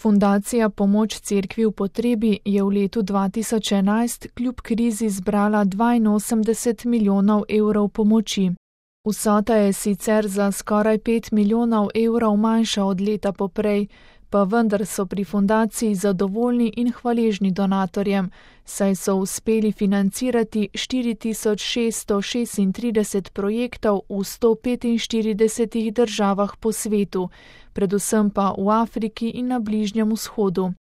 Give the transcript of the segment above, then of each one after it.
Fundacija Pomoč cerkvi v potrebi je v letu 2011 kljub krizi zbrala 82 milijonov evrov pomoči. Vsota je sicer za skoraj 5 milijonov evrov manjša od leta poprej, pa vendar so pri fundaciji zadovoljni in hvaležni donatorjem, saj so uspeli financirati 4636 projektov v 145 državah po svetu, predvsem pa v Afriki in na Bližnjem vzhodu.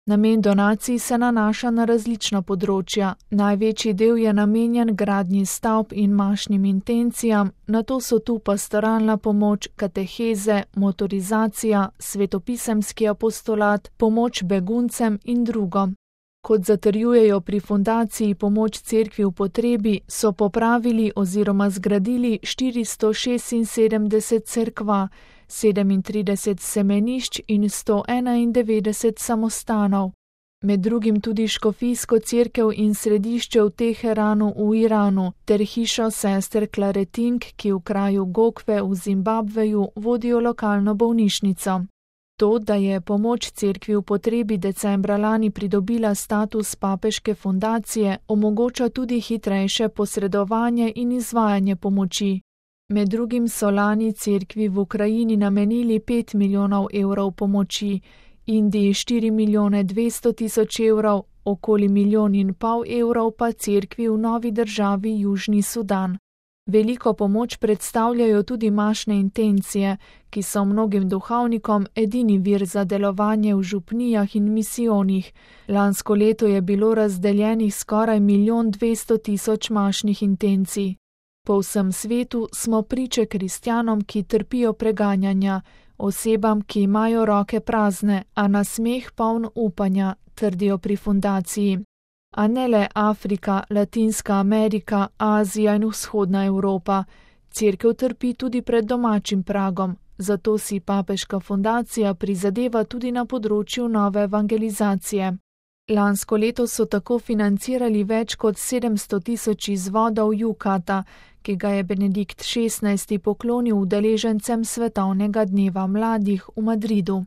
Namen donacij se nanaša na različna področja. Največji del je namenjen gradnji stavb in mašnim intencijam, nato so tu pastoralna pomoč, kateheze, motorizacija, svetopisemski apostolat, pomoč beguncem in drugo. Kot zatrjujejo pri fundaciji Pomoč cerkvi v potrebi, so popravili oziroma zgradili 476 cerkva, 37 semenišč in 191 samostanov. Med drugim tudi škofijsko cerkev in središče v Teheranu v Iranu ter hišo sester Claretink, ki v kraju Gokve v Zimbabveju vodijo lokalno bolnišnico. To, da je Pomoč cerkvi v potrebi decembra lani pridobila status papeške fundacije, omogoča tudi hitrejše posredovanje in izvajanje pomoči. Med drugim so lani cerkvi v Ukrajini namenili 5 milijonov evrov pomoči, Indiji 4 milijone 200 tisoč evrov, okoli 1,5 milijona evrov pa cerkvi v novi državi Južni Sudan. Veliko pomoč predstavljajo tudi mašne intencije, ki so mnogim duhovnikom edini vir za delovanje v župnijah in misijonih. Lansko leto je bilo razdeljenih skoraj 1,2 milijona mašnih intencij. Po vsem svetu smo priče kristjanom, ki trpijo preganjanja, osebam, ki imajo roke prazne, a na smeh poln upanja, trdijo pri fundaciji. A ne le Afrika, Latinska Amerika, Azija in vzhodna Evropa. Cerkev trpi tudi pred domačim pragom, zato si papeška fundacija prizadeva tudi na področju nove evangelizacije. Lansko leto so tako financirali več kot 700 tisoč izvodov Jukata, ki ga je Benedikt XVI poklonil udeležencem svetovnega dneva mladih v Madridu.